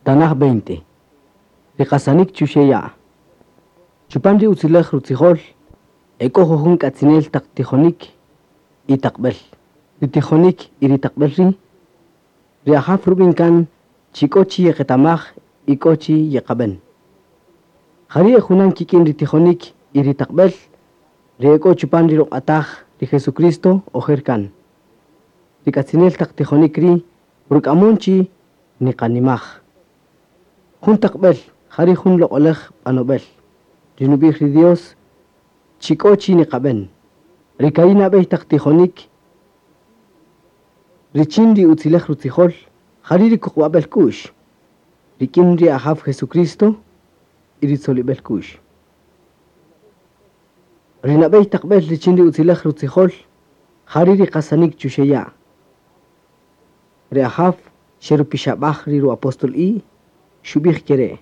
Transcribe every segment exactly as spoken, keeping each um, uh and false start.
Tanaj veinte. Ri qasanik chuxeya. Chupan ri utzilej rutzijol, eko jujun k'atzinel taq tijonik y taqb'el. Ri tijonik y ri taqb'el ri, ri ajaw rub'in kan chi k'o chi yeqetamaj y k'o chi yeqab'en. Jari' junan kik'in ri tijonik y ri taqb'el, ri ek'o chupan ri ruq'ataj ri Jesucristo ojer kan. Ri k'atzinel taq tijonik ri, ruk'amon chi niqanimaj. Jun taqb'el, jari' jun loq'olej b'anob'el. Ri nub'ij ri Dios, chi k'o chi niqab'en. Ri ka'i' nab'ey taq tijonik, richin ri utzilej rutzijol, jari' ri kuqub'ab'el k'u'x, rik'in ri ajaw Jesucristo y ri tzolib'el k'u'x. Ri nab'ey taqb'el richin ri utzilej rutzijol, jari' ri qasanik chuxeya'. Ri ajaw xerupixab'aj ri ru-apóstol i, xub'ij kere'.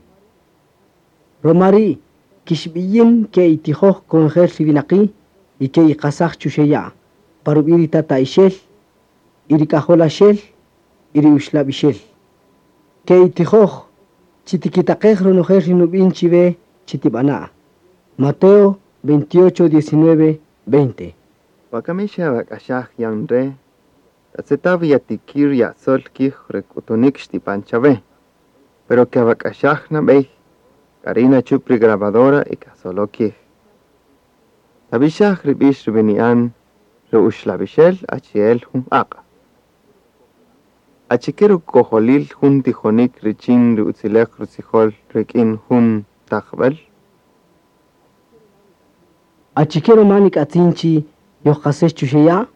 Romari' kixb'iyin ke itijoj konojel ri winaqi' y ke iqasaj chuxeya', parub'i' ri tata'ixel y ri k'ajolaxel y ri uxlab'ixel. Ke itijoj chitikitaqej ronojel ri nub'in chiwe chitib'ana'. Mateo veintiocho, diecinueve, veinte. Wakami xawak'axaj yan re', tatz'eta' wi yatikir yasol kij re k'utunik xtib'an chawe. Pero kawak'axaj nab'ey, k'ari' nachup ri grabadora y kasolo kij. Tab'ixaj ri b'ix rub'ini'an ri uxlab'ixel achi'el jun q'aq'. Achike rukojolil jun tijonik richin ri utzilej rutzijol rik'in jun taqb'el? Achike ruma nik'atzin chi yojqasex chuxeya'?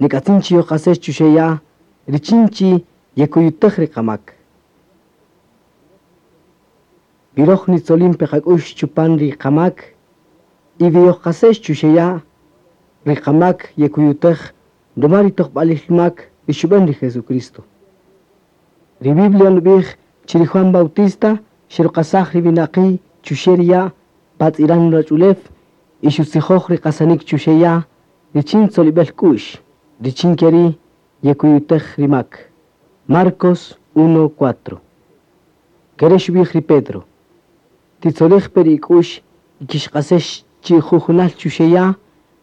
Nik'atzin chi yojqasex chuxeya' richin chi yekuyutej ri qamak. Wiroj nitzolin pe qak'ux chupan ri qamak y wi yojqasex chuxeya' ri qamak yekuyutej ruma ri tojb'alil mak ri xub'an ri Jesucristo. Ri Biblia nub'ij chi ri Juan Bautista xeruqasaj ri winaqi' chuxe' ri ya' patz'iran ruwach'ulew y xutzijoj ri qasanik chuxeya' richin tzolib'el k'u'x, richin keri' yekuyutej ri mak. Marcos uno, cuatro. Kere' xub'ij ri Pedro. Titzolej pe ri ik'u'x y kixqasex chi jujunal chuxeya'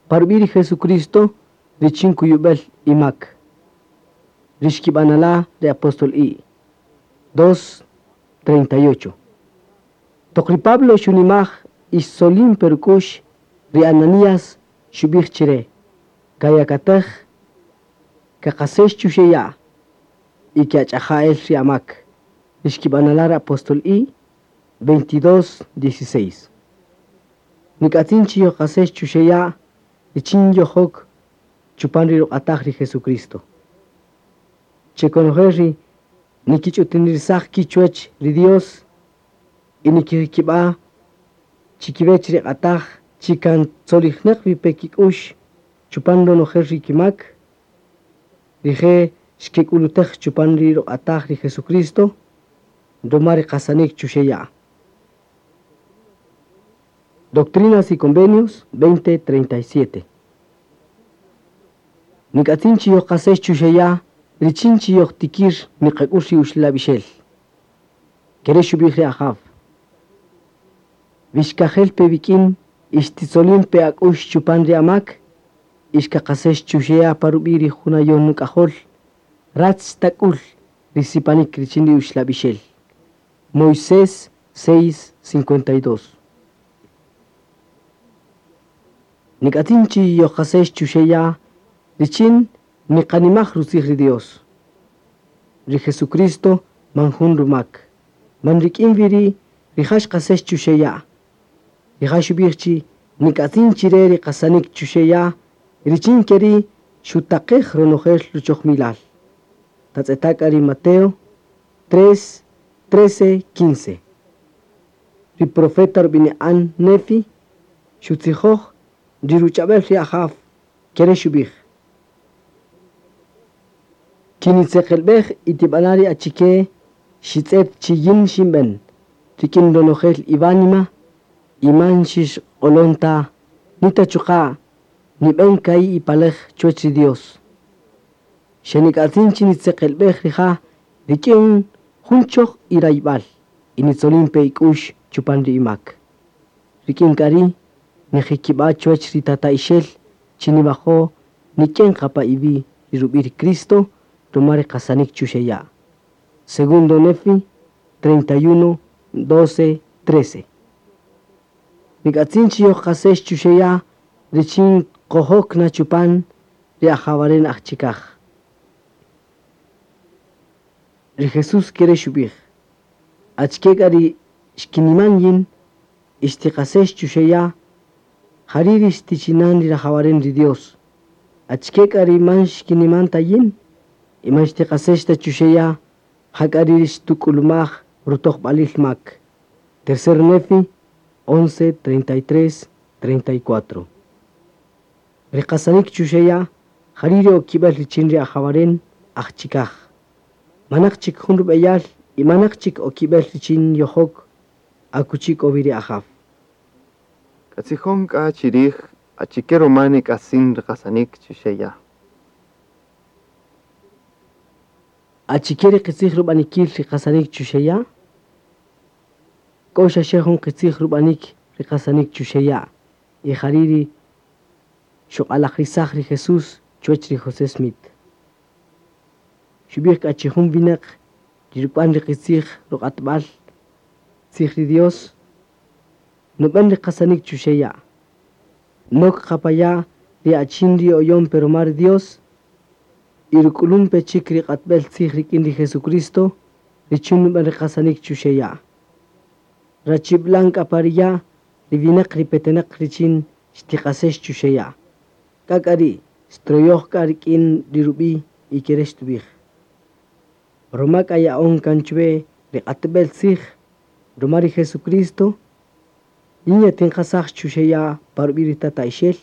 parub'i' ri Jesucristo richin kuyub'el imak. Rixkib'anala' ri apóstol i. dos, treinta y ocho. Toq ri Pablo xunimaj y xtzolin pe ruk'u'x ri Ananías xub'ij chire, kayakatej, kaqasex chuxeya' y ke'ach'aja'el ri amak. Rixkib'anala' ri apóstol i. veintidós, dieciséis. Nik'atzin chi yojqasex chuxeya' richin yojok chupan ri ruq'ataj ri Jesucristo. Chekonojel ri nikich'utinirsaj kichwech ri Dios y nikikib'a chikiwech ri q'ataj chikan tzolijneq wi pe kik'ux chupan ronojel ri kimak, rije' xkek'ulutej chupan ri ruq'ataj ri Jesucristo ruma ri qasanik chuxeya'. Doctrinas y Convenios veinte, treinta y siete. Nik'atzin chi yojqasex chuxeya' richin chi yojtikir niqak'ux ri uxlab'ixel. Kere' xub'ij ri ajaw. Wixkajel pe wik'in ixtitzolin pe ak'ux chupan ri amak, ixkaqasex chuxeya' parub'i' ri junayon nuk'ajol, ratz tak'ul ri sipanik richin ri uxlab'ixel. Moisés seis, cincuenta y dos. Nik'atzin chi yojqasex chuxeya' richin niqanimaj rutzij ri Dios. Ri Jesucristo man jun rumak. Man rik'in wi ri' rija' xqasex chuxeya'. Rija' xub'ij chi nik'atzin chire ri qasanik chuxeya' richin keri' xutaqej ronojel ruchojmilal. Tatz'eta' k'a ri Mateo tres, trece, quince. Ri profeta rub'ini'an Nefi xutzijoj ri ruch'ab'el ri ajaw kere' xub'ij. Kinitzeqelb'ej y tib'ana' ri achike xitz'et chi yin xinb'en, rik'in ronojel iwánima y man xixq'olon ta, nita chuqa' nib'en ka'i' ipalej chuwech ri Dios. Xenik'atzin chi nitzeqelb'ej rija' rik'in Jun choj irayb'al y nitzolin pe ik'ux chupan ri imak. Rik'in k'a ri' nijikib'a' chuwach ri tata'ixel chi niwajo' nik'en qa pa iwi' ri rub'i' ri Cristo ruma ri qasanik chuxe' ya'. Segundo Nefi treinta y uno, doce, trece. Nik'atzin chi yojqasex chuxe' ya' richin qojok na chupan ri ajawaren ajchikaj. Ri Jesús kere xub'ij, achike k'a ri xkiniman yin y xtiqasex chuxe' ya', jari' ri xtichinan ri rajawaren ri Dios. Achike k'a ri man xkiniman ta yin y man xtiqasex ta chuxe' ya', ja k'a ri xtuk'ulumaj rutojb'alil mak. Tercer Nefi once, treinta y tres, treinta y cuatro. Ri qasanik chuxe' ya', jari' ri okib'el richin ri ajawaren ajchikaj. Manaq chik jun rub'eyal y manaq chik okib'el richin yojok akuchi k'o wi ri ajaw. Katzijon k'a chirij achike ruma nik'atzin ri qasanik chuxe' ya'. Achike ri qitzij rub'anikil ri qasanik chuxe' ya'? K'o xaxe jun qitzij rub'anik ri qasanik chuxe' ya' y jari' ri xuq'alajrisaj ri Jesús chuwach ri José Smith. Xub'ij k'a chi jun winaq ri ruk'wan ri qitzij ruq'atb'al tzij ri Dios nub'an ri qasanik chuxe' ya'. Nok qapaya' ri achin ri oyon pero ruma ri Dios y ruk'ulun pe chik ri q'atb'el tzij rik'in ri Jesucristo richin nub'an ri qasanik chuxe' ya'. Rachib'lan k'a pa ri ya' ri winaq ri petenaq richin xtiqasex chuxe' ya'. K'a k'a ri' xtroyoj k'a rik'in ri rub'i' y kere xtub'ij. Ruma k'a ya'on kan chuwe ri q'atb'el tzij ruma ri Jesucristo yin yatinqasaj chuxe' ya' pa rub'i' ri tata'ixel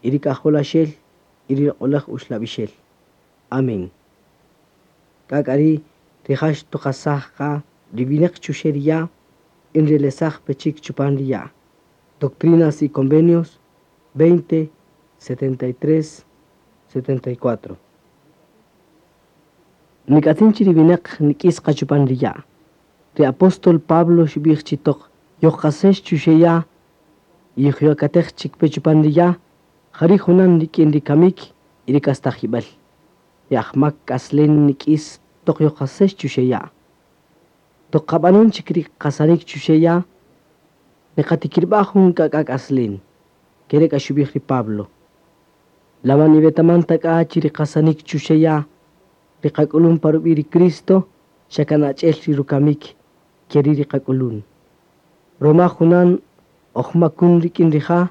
y ri k'ajolaxel y ri q'olaj uxlab'ixel. Amén. K'a k'a ri' rija' xtuqasaj qa ri winaq chuxe' ri ya' y nrelesaj pe chik chupan ri ya'. Doctrinas y Convenios veinte, setenta y tres, setenta y cuatro. Nik'atzin chi ri winaq nik'is qa chupan ri ya'. Ri apóstol Pablo xub'ij chi toq yojqasex chuxe' ya' y yojyakatej chik pe chupan ri ya', jari' junan rik'in ri kamik y ri k'astajib'al. Ri ajmak k'aslen nik'is toq yojqasex chuxe' ya'. Toq qab'anon chik ri qasanik chuxe' ya', niqatikirb'a' jun k'ak'a k'aslen. Kere k'a xub'ij ri Pablo. Laman iwetaman ta k'a chi ri qasanik chuxe' ya', ri qak'ulun pa rub'i' ri Cristo, xa kan ach'el ri rukamik keri ri qak'ulun. Roma junan ojmakun rik'in rija'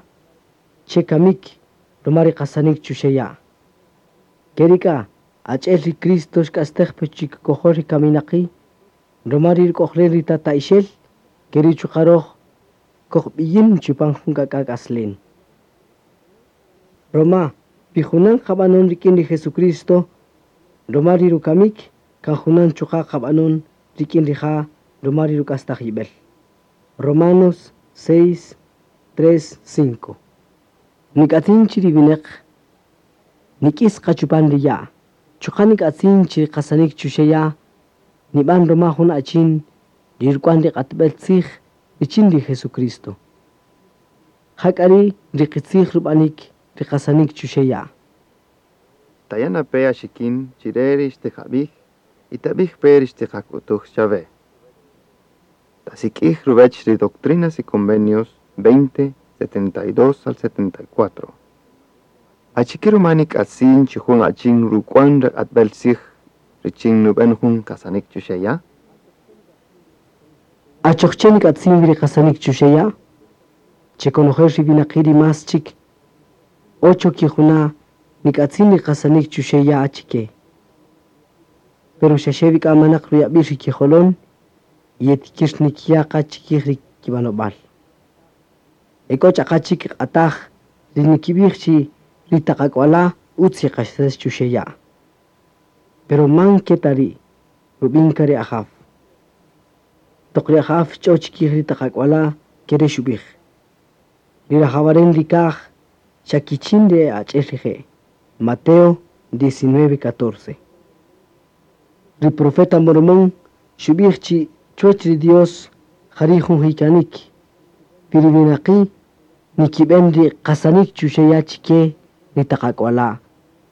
che kamik ruma ri qasanik chuxe' ya'. Keri k'a ach'el ri Cristo xk'astej pe chikikojol ri kaminaqi', ruma ri ruk'ojlen ri tata'ixel, keri chuqa' roj kojb'iyin chupan jun k'ak'a k'aslen. Roma wi junan qab'anon rik'in ri Jesucristo, ruma ri rukamik kan junan chuqa' qab'anon rik'in rija' ruma ri ruk'astajib'el. Romanos seis, tres, cinco. Nik'atzin chi ri winaq nik'is qa chupan ri ya'. Chuqa' nik'atzin chi ri qasanik chuxe' ya' nib'an ruma jun achin ri ruk'wan ri q'atb'el tzij richin ri Jesucristo. Ja k'a ri' ri qitzij rub'anik ri qasanik chuxe' ya'. Taya' na pe axikin chire ri xtiqab'ij y tab'ij pe ri xtiqak'utuj chawe. Tasik'ij ruwech ri Doctrinas y Convenios veinte, setenta y dos al setenta y cuatro. Achike ruma nik'atzin chi jun achin ruk'wan ri q'atb'el tzij richin nub'en jun qasanik chuxe' ya'? Achoq che nik'atzin ri qasanik chuxe' ya'? Che konojel ri winaqi' ri más chik ocho kijuna' nik'atzin ri qasanik chuxe' ya' achike. Pero xaxe wi k'a manaq ruyab'il ri kijolon y yetikir nikiya' qa chikij ri kib'anob'al. E k'o ch'aqa chik q'ataj ri nikib'ij chi ri taq ak'wala' utz yeqasex chuxe' ya'. Pero man ke ta ri' rub'in ka ri ajaw. Toq ri ajaw xch'o chikij ri taq ak'wala' kere xub'ij. Ri rajawaren ri kaj xa kichin ri ach'el rije'. Mateo diecinueve, catorce. Ri profeta Mormón Xub'ij chi chuwäch ri Dios jari' jun jikanik. Wi ri winaqi' nikib'en ri qasanik chuxe' ya' chike ri taq ak'wala',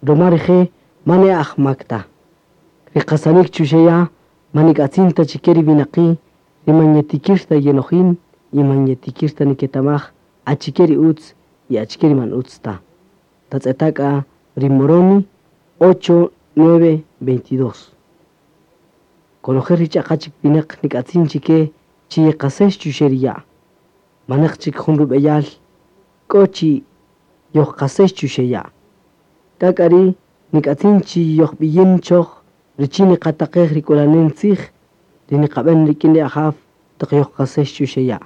ruma rije' man e ajmak ta. Ri qasanik chuxe' ya' man nik'atzin ta chike ri winaqi' ri man yetikir ta yenojin y man yetikir ta niketamaj achike ri utz y achike ri man utz ta. Tatz'eta' k'a ri Moroni ocho nueve veintidós. Konojel ri ch'aqa chik winäq nik'atzin chike chi yeqasex chuxe' ri ya'. Manaq chik jun rub'eyal k'o chi yojqasex chuxe' ya'. K'a k'a ri' nik'atzin chi yojb'iyin choj richin niqataqej ri k'ulanen tzij ri niqab'en rik'in ri Ajaw toq yojqasex chuxe' ya'.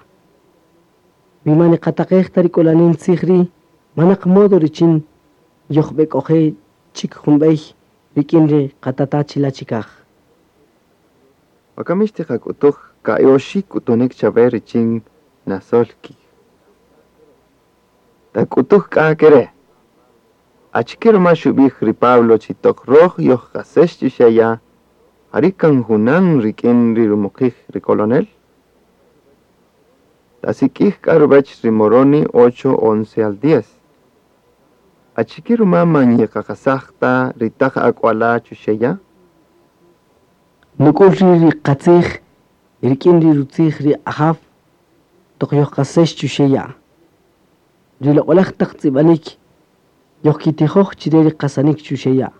Wi man niqataqej ta ri k'ulanen tzij ri' manaq modo richin yojb'ek'oje' chik jun b'ey rik'in ri qatata' chila' chikaj. Wakami xtiqak'utuj ka'i oxi' k'utunik chawe richin nasol kij. Tak'utuj k'a ke re': Achike ruma xub'ij ri Pablo chi toq röj yojqasex chuxe' ya', jari' kan junan rik'in ri rumuqij ri kolonel? Tasik'ij k'a ruwäch ri Moroni ocho once al diez. Achike ruma man yeqaqasaj ta ri taq ak'wala' chuxe' ya'? Nuk'ul ri' ri qatzij rik'in ri rutzij ri Ajaw toq yojqasex chuxe' ya'. Ri loq'oläj taq tz'ib'anik yojkitijoj chire ri qasanik chuxe' ya'.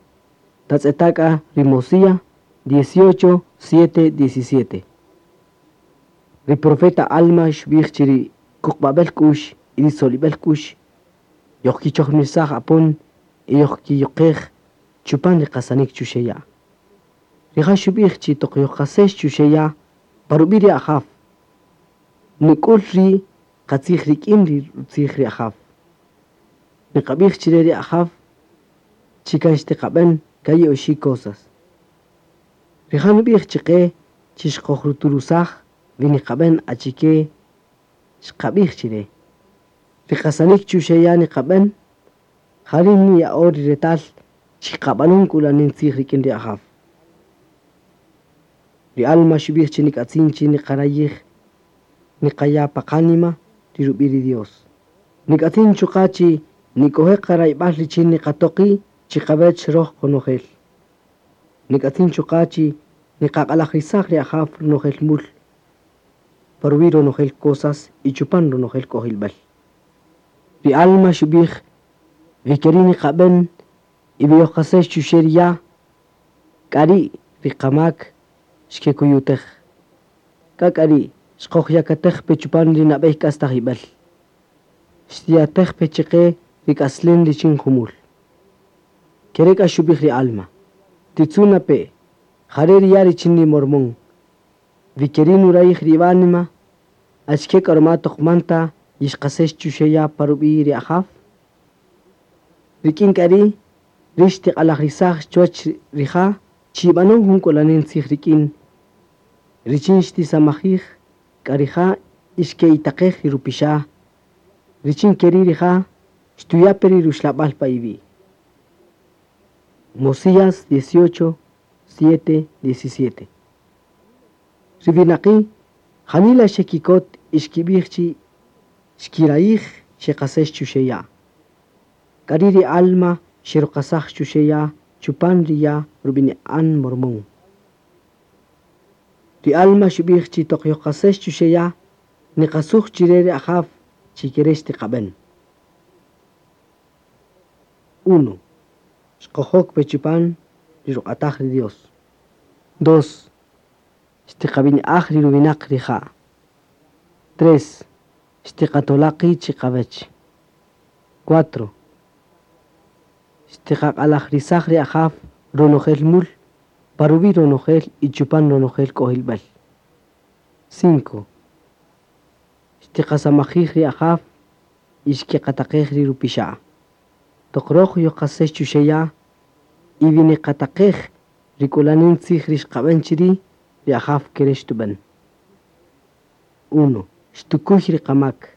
Tatz'eta' k'a ri Mosíah dieciocho siete diecisiete. Ri profeta Alma xub'ij chi ri kuqb'ab'el k'u'x y ri solib'el k'u'x yojkichojmirsaj apon y yojkiyuqej chupan ri qasanik chuxe' ya'. Rija' xub'ij chi toq yojqasex chuxe' ya' pa rub'i' ri Ajaw. Nuk'ul ri' qatzij rik'in ri rutzij ri Ajaw. Niqab'ij chire ri Ajaw chi kan xtiqab'en ka'i oxi' cosas. Rija' nub'ij chiqe chi xqojruturusaj wi niqab'en achike xqab'ij chire. Ri qasanik chuxe' ya' niqab'en jari' niya'o ri retal chi qab'anon k'ulanen tzij rik'in ri Ajaw. Ri Alma xub'ij chi nik'atzin chi niqarayij niqaya' pa qanima ri rub'i' ri Dios. Nik'atzin chuqa' chi nik'oje' qarayb'al richin niqatoqi' chiqawech röj qonojel. Nik'atzin chuqa' chi niqaq'alajrisaj ri Ajaw ronojel mul pa ruwi' ronojel cosas y chupan ronojel k'ojilb'al. Ri Alma xub'ij wi ke ri' niqab'en y wi yojqasex chuxe' ri ya', k'a ri' ri qamak xkekuyutej. K'a k'a ri' xqojyakatej pe chupan ri nab'ey k'astajib'al. Xtiyatej pe chiqe ri k'aslem richin jumul. Ke re' k'a xub'ij ri Alma. Titzuna pe, jare' ri ya' richin ri Mormón. Wi ke ri' nurayij ri iwánima, achike k'a ruma toq man ta yixqasex chuxe' ya' pa rub'i' ri Ajaw? Rik'in k'a ri' rix tiq'alajrisaj chuwäch rija' chi ib'anon jun k'ulanen tzij rik'in richin xtisamajij k'a rija' y xke'itaqej ri rupixa' richin ke ri' rija' xtuya' pe ri ruxlab'al pa iwi'. Mosías dieciocho siete diecisiete. Ri winaqi' janila xekikot y xkib'ij chi xkirayij xeqasex chuxe' ya'. K'a ri' ri Alma xeruqasaj chuxe' ya' chupan ri ya' rub'ini'an Mormón. Ri Alma xub'ij chi toq yojqasex chuxe' ya' niqasuj chire ri Ajaw chi ke re' xtiqab'en. Uno. Xqojok pe chupan ri ruq'ataj ri Dios. Dos. Xtiqab'ini'aj ri ruwinaq rija'. Tres. Xtiqatola' qi' chiqawech. Cuatro. Xtiqaq'alajrisaj ri Ajaw ronojel mul pa ruwi' ronojel y chupan ronojel k'ojilb'al. Cinco. Xtiqasamajij ri Ajaw y xkeqataqej ri rupixa'. Toq röj yojqasex chuxe' ya' y wi niqataqej ri k'ulanen tzij ri xqab'en chiri' ri Ajaw ke re' xtub'en. Uno. Xtukuy ri qamak.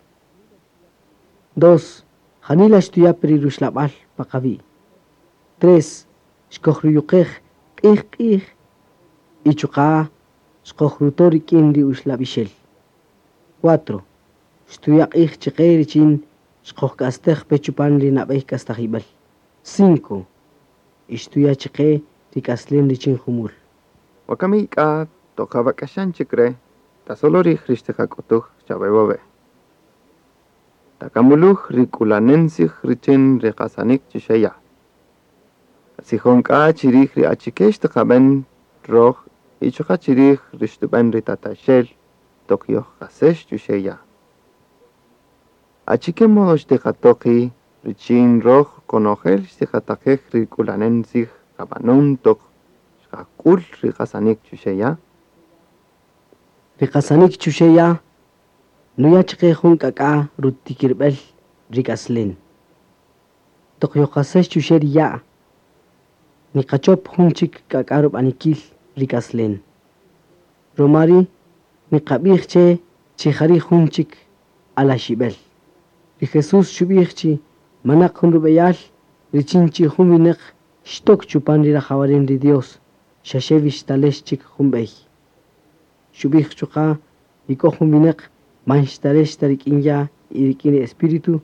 Dos. Janila xtuya' pe ri ruxlab'al pa qawi'. Tres. Xkojruyuqej q'ij q'ij y chuqa' Xqojruto rik'in ri uxlab'ixel. Cuatro. Xtuya' q'ij chiqe richin xqojk'astej pe chupan ri nab'ey k'astajib'äl. Cinco. Y xtuya' chiqe ri k'aslem richin jumul. Wakami k'a toq awak'axan chik re', tasolo rij ri xtiqak'utuj chawe wawe'. Takamuluj ri k'ulanen tzij richin ri qasanik chuxe' ya'. Katzijon k'a chi rij ri achike xtiqab'en röj y chuqa' chi rij ri xtub'än ri tataxel toq yojqasex chuxe' ya'. Achike modo xtiqato' qi' richin röj qonojel xtiqataqej ri k'ulanen tzij qab'anon toq xqak'ül ri qasanik chuxe' ya'? Ri qasanik chuxe' ya' nuya' chiqe jun k'ak'a rutikirb'el ri k'aslem. Toq yojqasex chuxe' ri ya', niqachop jun chik k'ak'a rub'anikil ri k'aslem. Ruma ri' niqab'ij che chi jari' jun chik alaxib'el. Ri Jesús xub'ij chi manaq jun rub'eyal richin chi jun winäq xtok chupan ri rajawaren ri Dios, xaxe wi xtalex chik jun b'ey. Xub'ij chuqa' wi k'o jun winäq man xtalex ta rik'in ya' y rik'in ri Espíritu,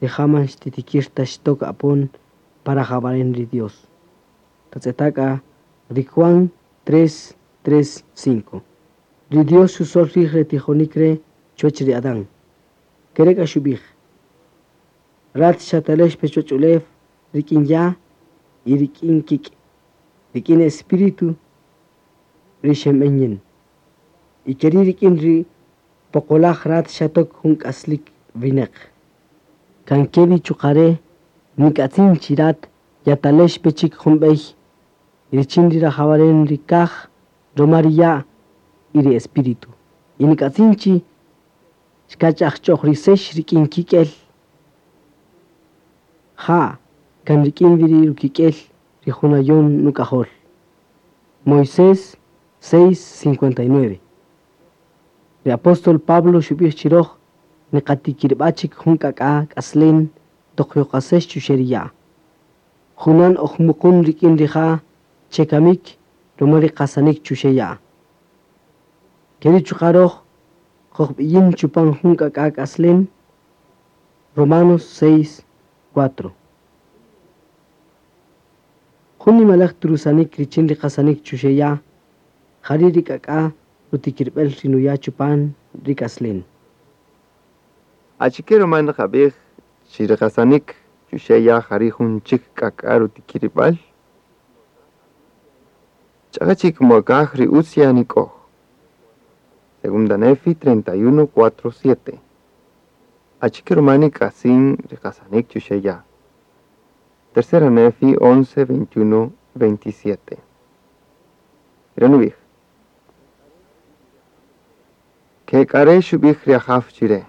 rija' man xtitikir ta xtok apon pa rajawaren ri Dios. Tatz'eta' k'a ri Juan tres, tres, cinco. Ri Dios xusol rij re tijonik re' chuwäch ri Adán. Kere' k'a xub'ij: Rat xatalex pe chuwäch ulew rik'in ya' y rik'in kik', rik'in Espíritu ri xenb'en yin. Y keri' rik'in ri poqolaj rat xatok jun k'aslik winäq. Kan kewi chuqa' re' nik'atzin chi rat yatalex pe chik jun b'ey richin ri rajawaren ri kaj ruma ri ya' y ri Espíritu. Y nik'atzin chi xkach'ajch'ojrisex rik'in kik'el. Ja', kan rik'in wi ri rukik'el ri junayon nuk'ajol. Moisés seis cincuenta y nueve. Ri apóstol Pablo xub'ij chi röj niqatikirb'a chik jun k'ak'a k'aslem toq yojqasex chuxe' ri ya'. Junan ojmuqun rik'in rija' chekamik ruma ri qasanik chuxe' ya'. Keri' chuqa' röj qojb'iyin chupan jun k'ak'a k'aslem. Romanos seis, cuatro. Jun nimalaj trusanik richin ri qasanik chuxe' ya', jari' ri k'ak'a rutikirb'el ri nuya' chupan ri k'aslem. Achike ruma nqab'ij chi ri qasanik chuxe' ya' jari' jun chik k'ak'a rutikirib'al? Ch'aqa chik mokaj ri utz yanik'oj. Segunda Nefi treinta y uno, cuatro, siete. Achike ruma nik'atzin ri qasanik chuxe' ya'. Tercera Nefi once, veintiuno, veintisiete. Re nub'ij. Ke k'are xub'ij ri ajaw chire.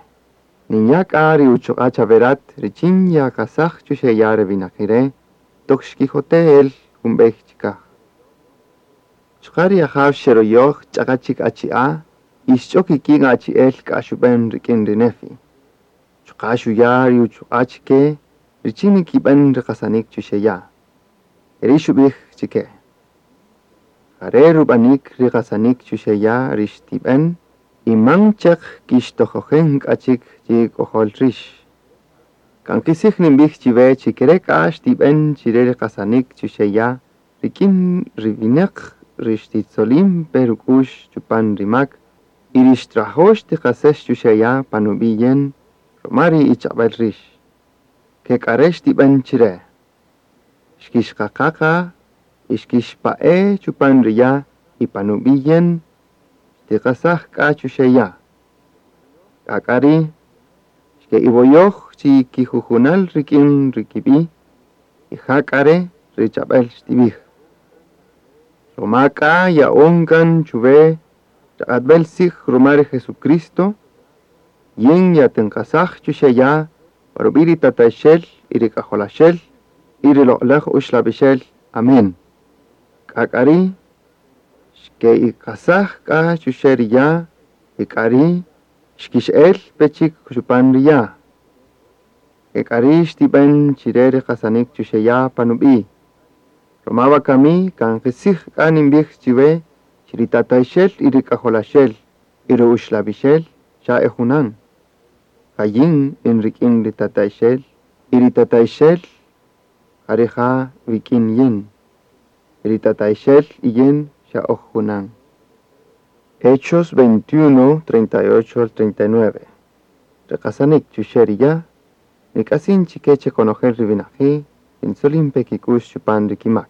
Ninya' k'a ri uchuq'a' chaverat richin yaqasaj chuxe' ya' re winaqi' toq xkijote' el jun b'ey chikaj. Chuqa' ri ajaw xeroyoj ch'aqa chik achi'a' y xch'ok ik'in achi'el k'a xub'en rik'in ri Nefi. Chuqa' xuya' ri uchuq'a' chike richin nikib'en ri qasanik chuxe' ya'. Eri xub'ij chike. Jare' rub'anik ri qasanik chuxe' ya' ri xtib'en y man chaq kixtojojen k'a chik chi k'ojol rix. Kan qisij ninb'ij chiwe chi kere' k'a xtib'en chire ri qasanik chuxe' ya' rik'in ri winäq ri xtitzolin pe ruk'u'x chupan ri mak y ri xtrajo' xtiqasex chuxe' ya' pan ub'i' yen ruma ri ich'ab'äl rix. Ke k'are' xtib'en chire. Xkixqaqaqa y xkixpa'e chupan ri ya' y pan ub'i' yen xtiqasaj k'a chuxe' ya'. K'ak'ari' xke'iwoyoj chi kijujunal rik'in ri kib'i' y ja k'are' ri ch'ab'äl xtib'ij. Ruma k'a ya'on kan chuwe raq'atb'el tzij ruma ri Jesucristo, yin yatinqasaj chuxe' ya' pa rub'i' ri tataxel y ri k'ajolaxel y ri loq'olaj uxlab'ixel. Amén. K'ak'ari' xke'iqasaj k'a chuxe' ri ya' y k'ari' xkix'el pe chik chupan ri ya'. K'ak'ari' xtib'en chire ri qasanik chuxe' ya' pan ub'i'. Ruma wakami kan qisij k'a ninb'ij chiwe Chi ri tata'ixel y ri k'ajolaxel y ri uxlab'ixel xa e junan. Ja yin in rik'in ri tata'ixel y ri tata'ixel ja rija' wik'in yin. Y ri tata'ixel y yin xa oj junan. Hechos veintiuno, treinta y ocho al treinta y nueve. Ri qasanik chuxe' ri ya', nik'atzin chike che konojel ri winaqi' ri ntzolin pe kik'u'x chupan ri kimak.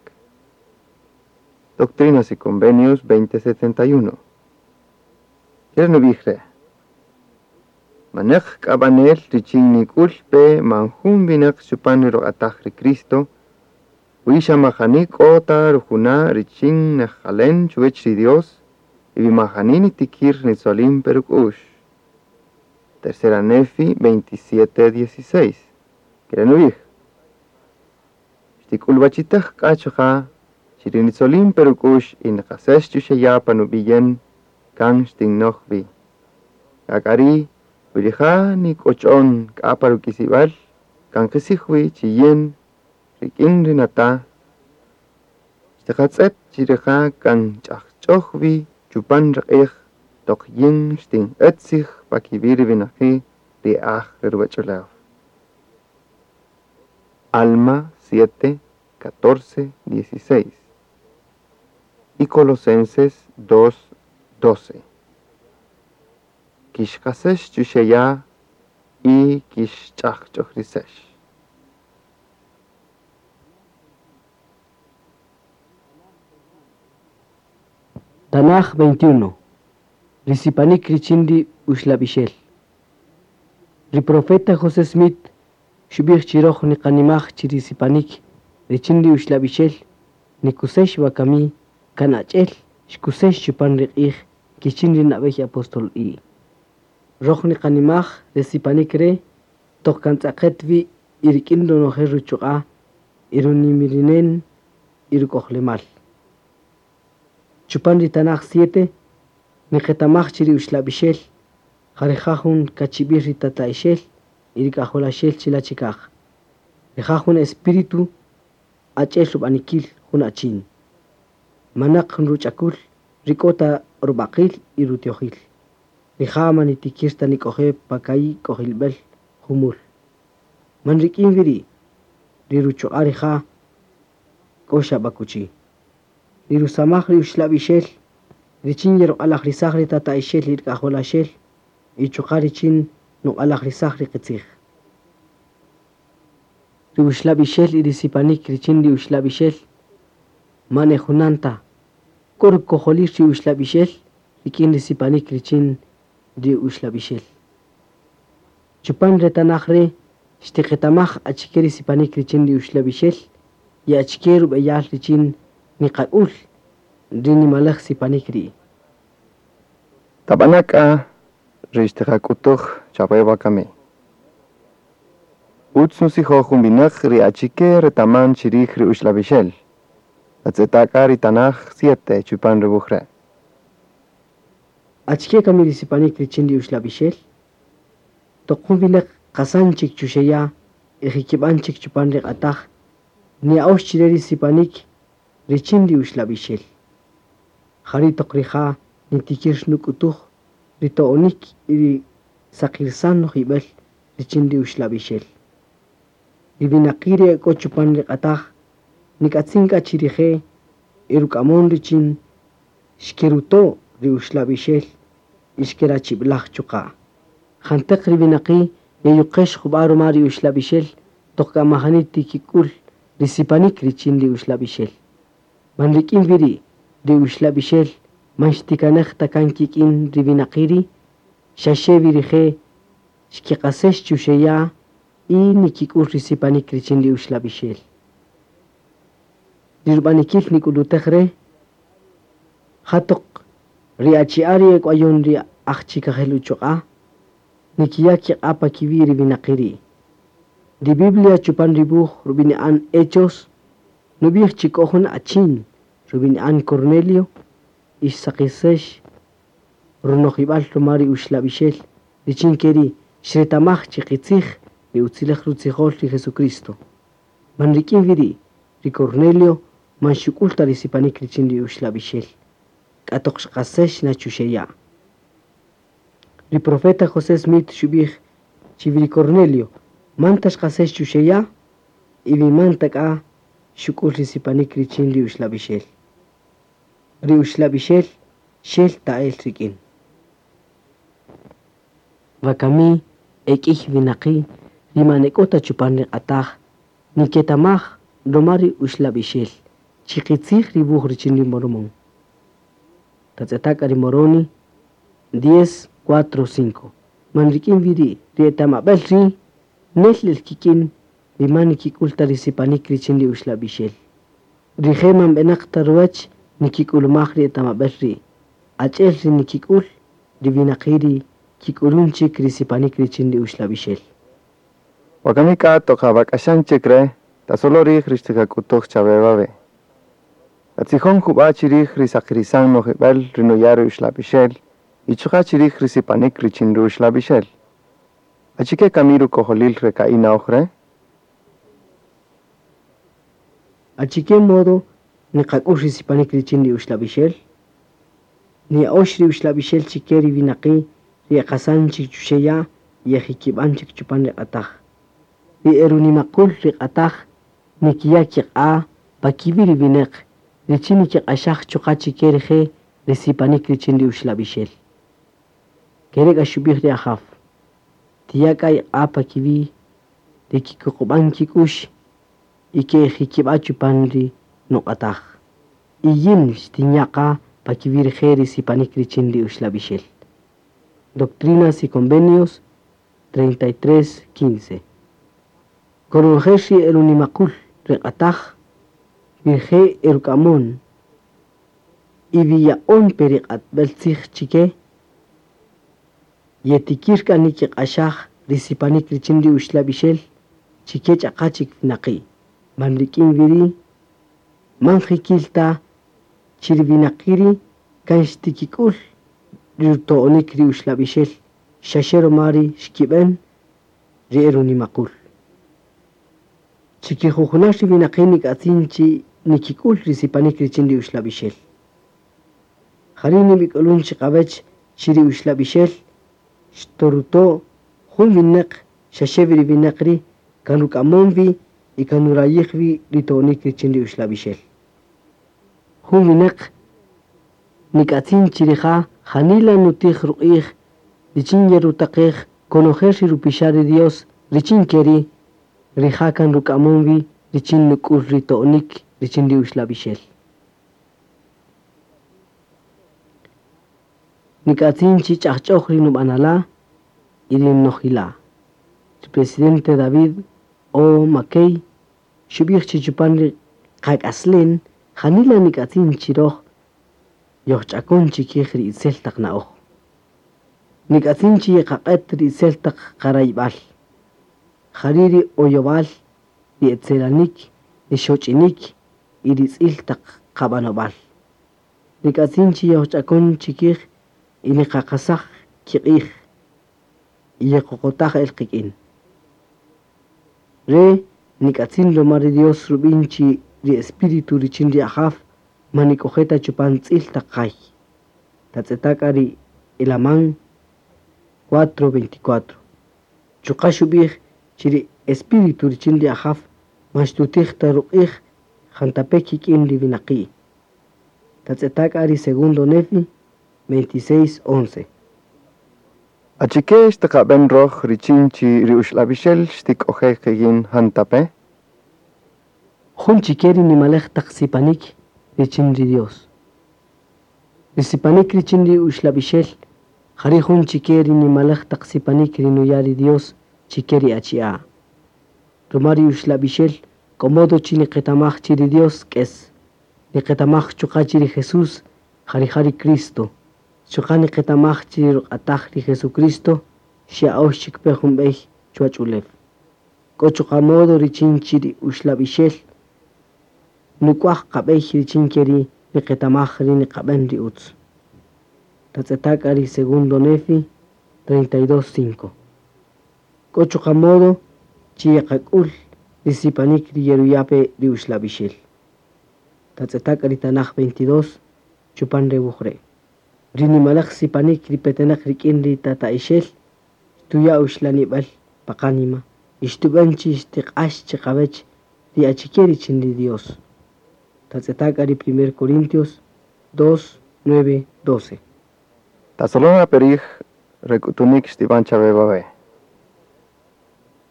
Doctrinas y Convenios veinte setenta y uno. Kere' nub'ij re'. Maneq k'ab'anel richin nik'ul pe man jun winaq chupan ri ruq'ataj ri Cristo, wi xa majani k'o ta rujuna' richin nejqalen chuwech ri Dios, y wi majani nitikir nitzolin pe ruk'u'x. Tercera Nefi veintisiete dieciséis. Kere' nub'ij. Xtik'ulwachitej k'a chuqa' chi ri nitzolin pe ruk'u'x y niqasex chuxe' ya' pan ub'iyen kan xtinnoj wi. K'a k'a ri' wi rija' nik'och'on k'a pa ruk'isib'äl kan qisij wi chi yin rik'in ri nata' xtiqatz'et chi rija' kan ch'ajch'oj wi chupan ri q'ij toq yin xtinq'et tzij pa kiwi' ri winaqi' ri aj re ruwach'ulew. Alma siete, catorce, dieciséis. Y Colosenses dos, doce. Kixqasex chuxe' ya' y kixch'ajch'ojrisex. Tanaj veintiuno. Risipanik richin ri uxlab'ixel. Ri profeta José Smith xub'ij chi roj niqanimaj chi risipanik richin ri uxlab'ixel nikusex wakami kan ach'el xkusex chupan ri q'ij kichin ri nab'ey apóstol i. Roj niqanimaj risipanik re toq kan tz'aqet wi y rik'in ronojel ruchuq'a' y runimirinen y ruk'ojlemal. Chupan ri Tanaj siete niqetamaj chi ri uxlab'ixel jarija' jun kachib'il ri tata'ixel y ri k'ajolaxel chila' chikaj. Rija' jun espíritu ach'el rub'anikil jun achin. Manaq jun ruch'akul rik'o ta rub'aqil y rutiojil. Rija' man nitikir ta nik'oje' pakay k'ojilb'al jumul. Man rik'in wi ri' ri ruchuq'a' rija' k'o xab'akuchi. Ri rusamaj ri uxlab'ixel richin yeruq'alajrisaj ri tata'ixel y ri k'ajolaxel y chuqa' richin nuq'alajrisaj ri qitzij. Ri uxlab'ixel y ri sipanik richin ri uxlab'ixel man e junan ta. K'o rukojolil ri uxlab'ixel rik'in ri sipanik richin ri uxlab'ixel. Chupan re tanaj re xtiqetamaj achike ri sipanik richin ri uxlab'ixel y achike rub'eyal richin niqak'ul ri nimalaj sipanik ri'. Tab'anak'a ri xtiqak'utuj chawe wakami. Utz nusijoj jun winaq ri achike retaman chirij ri uxlab'ixel. Tatz'etaka ri Tanaj siete chupan ri wuj re'. Achike kami ri sipanik richin ri uxlab'ixel? Toq jun winaq qasan chik chuxe' ya' y jikib'an chik chupan ri q'ataj, niya'ox chire ri sipanik richin ri uxlab'ixel. Jari' toq rija' nitikir nuk'utuj ri to'onik y ri saqirsan nojib'al richin ri uxlab'ixel. Ri winaqi' ri ek'o chupan ri q'ataj nik'atzin k'a chi rije' y ruk'amon richin xkeruto' ri uxlab'ixel y xkerachib'laj chuqa'. Janteq ri winaqi' yeyuqex jub'a' ruma ri uxlab'ixel toq k'amajani tikik'ul ri sipanik richin ri uxlab'ixel. Man rik'in wi ri' ri uxlab'ixel man xtikanej ta kan kik'in ri winaqi' ri' xaxe wi rije' xkiqasex chuxe' ya' y nikik'ul ri sipanik richin ri uxlab'ixel. Ri rub'anikil nik'ulutej re' ja toq ri achi'a' ri ek'wayon ri aj chikajel uchuq'a' nikiya' kiq'a' pa kiwi' ri winaqi' ri'. Ri Biblia chupan ri wuj rub'ini'an Hechos nub'ij chi k'o jun achin rub'ini'an Cornelio y xsaqisex runojib'al ruma ri uxlab'ixel richin ke ri' xretamaj chi qitzij ri utzilej rutzijol ri Jesucristo. Man rik'in wi ri' ri Cornelio man xuk'ul ta ri sipanik richin ri uxlab'ixel. k'a toq xqasex na chuxe' ya'. Ri profeta José Smith xub'ij chi wi ri Cornelio man ta xqasex chuxe' ya' y wi man ta k'a xuk'ul ri sipanik richin ri uxlab'ixel. Ri uxlab'ixel xel ta'el rik'in. Wakami ek'iy winaqi' ri man e k'o ta chupan ri q'ataj niketamaj ruma ri uxlab'ixel chi qitzij ri wuj richin ri Mormón. Tatz'eta' k'a ri Moroni diez, cuatro, cinco. Man rik'in wi ri' ri etamab'äl ri' nel el kik'in ri man nikik'ul ta ri sipanik richin ri uxlab'ixel. Rije' man b'enaq ta ruwach nikik'ulumaj ri etamab'äl ri'. Ach'el ri nikik'ul ri winaqi' ri kik'ulun chik ri sipanik richin ri uxlab'ixel. Wakami k'a toq awak'axan chik re', tasolo rij ri xtiqak'utuj chawe wawe'. Tatzijon jub'a' chirij ri saqirisan nojib'el ri nuya' ri uxlab'ixel y chuqa' chirij ri sipanik richin ri uxlab'ixel. Achike kami rukojolil re ka'i' na'oj re'? Achike modo niqak'ul ri sipanik richin ri uxlab'ixel? Niya'ox ri uxlab'ixel chike ri winaqi' ri eqasan chik chuxe' ya' y ejikib'an chik chupan ri q'ataj. Ri erunimaqul ri q'ataj nikiya' kiq'a' pa kiwi' ri winaq richin nikiq'axaj chuqa' chike rije' ri sipanik richin ri uxlab'ixel. Kere' k'a xub'ij ri Ajaw. Tiya' k'a iq'a' pa kiwi' ri kikuqub'an kik'ux y ke'ejikib'a' chupan ri nuq'ataj. Y yin xtinya' qa pa kiwi' rije' ri sipanik richin ri uxlab'ixel. Doctrinas y Convenios treinta y tres, quince. Konojel ri erunimaqul ri q'ataj rije' eruk'amon y wi ya'on pe ri q'atb'äl tzij chike yetikir k'a nikiq'axaj ri sipanik richin ri uxlab'ixel chike ch'aqa chik winaqi'. Man rik'in wi ri' man jikil ta chi ri winaqi' ri' kan xtikik'ul ri ruto'onik ri uxlab'ixel xaxe ruma ri xkib'en ri erunimaqul. Chikijujunal ri winaqi' nik'atzin chi nikik'ul ri sipanik richin ri uxlab'ixel. Jari' nib'ik'ulun chiqawech chi ri uxlab'ixel xtoruto' jun winaq xaxe wi ri winaq ri' kan ruk'amon wi y kan nurayij wi ri to'onik richin ri uxlab'ixel. Jun winaq nik'atzin chi rija' janila nutij ruq'ij richin yerutaqej konojel ri rupixa' ri Dios richin keri' rija' kan ruk'amon wi richin nuk'ul ri to'onik richin ri uxlab'ixel. Nik'atzin chi ch'ajch'oj ri nub'anala' y ri nojila'. Ri presidente David O. McKay xub'ij chi chupan ri qak'aslen janila nik'atzin chi roj yojch'akon chikij ri itzel taq na'oj. Nik'atzin chi yeqaq'et ri itzel taq qarayb'al. Jari' ri oyob'al, ri etzelanik, ri xoch'inik y ri tz'il taq qab'anob'al. Nik'atzin chi yojch'akon chikij y niqaqasaj kiq'ij y yeqoqotaj el qik'in. Re nik'atzin ruma ri Dios rub'in chi ri espíritu richin ri Ajaw man nik'oje' ta chupan tz'il taq jay. Tatz'eta' k'a ri Elamán cuatro veinticuatro. Chuqa' xub'ij chi ri espíritu richin ri Ajaw man xtutij ta ruq'ij jantape' kik'in ri winaqi'. Tatz'eta' k'a ri segundo Nefi veintiséis once. Achike xtiqab'en roj richin chi ri uxlab'ixel xtik'oje' qik'in jantape'? Jun chike ri nimalej taq sipanik richin ri Dios. Ri sipanik richin ri uxlab'ixel jari' jun chike ri nimalej taq sipanik ri nuya' ri Dios chike ri achi'a'. Ruma ri uxlab'ixel k'o modo chi niqetamaj chi ri Dios k'es. Niqetamaj chuqa' chi ri Jesús jari' ja ri Cristo. Chuqa' niqetamaj chi ri ruq'ataj ri Jesucristo xya'ox chik pe jun b'ey chuwach ulew. K'o chuqa' modo richin chi ri uxlab'ixel nuk'waj qab'ey richin ke ri niqetamaj ri niqab'en ri utz. Tatz'eta' k'a ri segundo Nefi treinta y dos cinco. K'o chuqa' modo chi yeqak'ul ri sipanik ri yeruya' pe ri uxlab'ixel. Tatz'eta' k'a ri tanaj veintidós chupan re wuj re'. Ri nimalaj sipanik ri petenaq rik'in ri Tata'ixel xtuya' uxlanib'el pa qánima y xtub'en chi xtiq'ax chiqawech ri achike richin ri Dios. Tatz'eta' k'a ri primer Corintios dos, nueve, doce. Tasolona perij re k'utunik xtib'an chawe wawe'.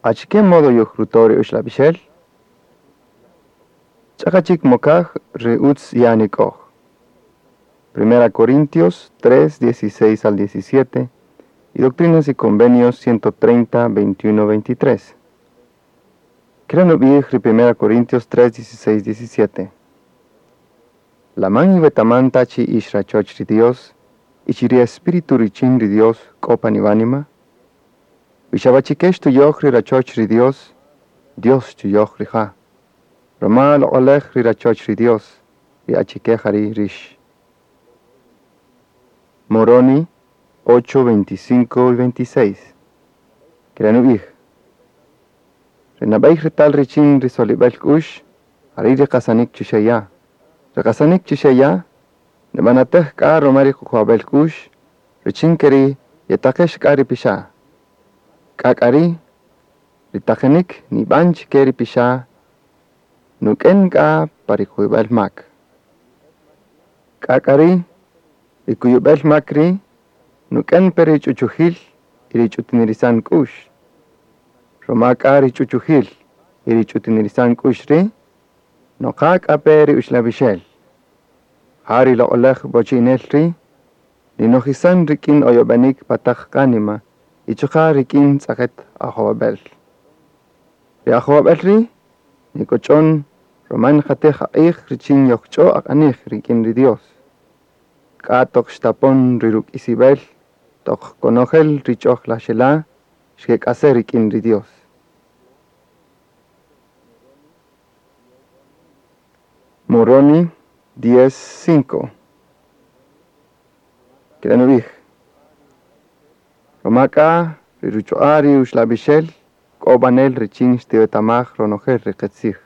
Achike modo yojruto' ri uxlab'ixel? Ch'aqa chik mokaj ri utz ye'anik'oj. Primera Corintios tres, dieciséis al diecisiete y Doctrinas y Convenios ciento treinta, veintiuno, veintitrés. Kere' nub'ij ri Primera Corintios tres, dieciséis, diecisiete. La man iwetaman ta chi ix rachoch ri Dios y chi ri Espíritu richin ri Dios k'o pan iwánima? Wi xa b'achike xtuyoj ri rachoch ri Dios, Dios xtuyoj rija'. Roma loq'olej ri rachoch ri Dios, ri achike jari' rix. Moroni ocho, veinticinco y veintiséis. Kere' nub'ij. Ri nab'ey retal richin ri solib'el k'u'x, jari' ri qasanik chuxe' ya'. Ri qasanik chuxe' ya', nib'anatej k'a roma ri kuqub'ab'el k'u'x, richin keri' yetaqex k'a ri pixa'. K'a k'a ri', ri taqenik nib'an chike ri pixa', nuk'en k'a pa ri kuyub'el mak. K'a k'a ri', ri kuyub'el mak ri' nuk'en pe ri ch'uchujil y ri ch'utinirisan k'u'x. Roma k'a ri ch'uchujil y ri ch'utinirisan k'u'x ri', noqa k'a pe ri uxlab'ixel. Ja ri loq'olej b'ochinel ri', ninojisan rik'in oyob'enik pataq qánima y chuqa' rik'in tz'aqet ajowab'el. Ri ajowab'el ri' nikoch'on roma nqatej aq'ij richin yojch'o aq'anij rik'in ri Dios. K'a toq xtapon ri ruk'isib'el toq konojel ri ch'oj laxela' xkek'ase' rik'in ri Dios. Moroni diez, cinco. Kere' nub'ij. Roma k'a ri ruchuq'a' ri uxlab'ixel k'o b'anel richin xtiwetamaj ronojel ri qitzij.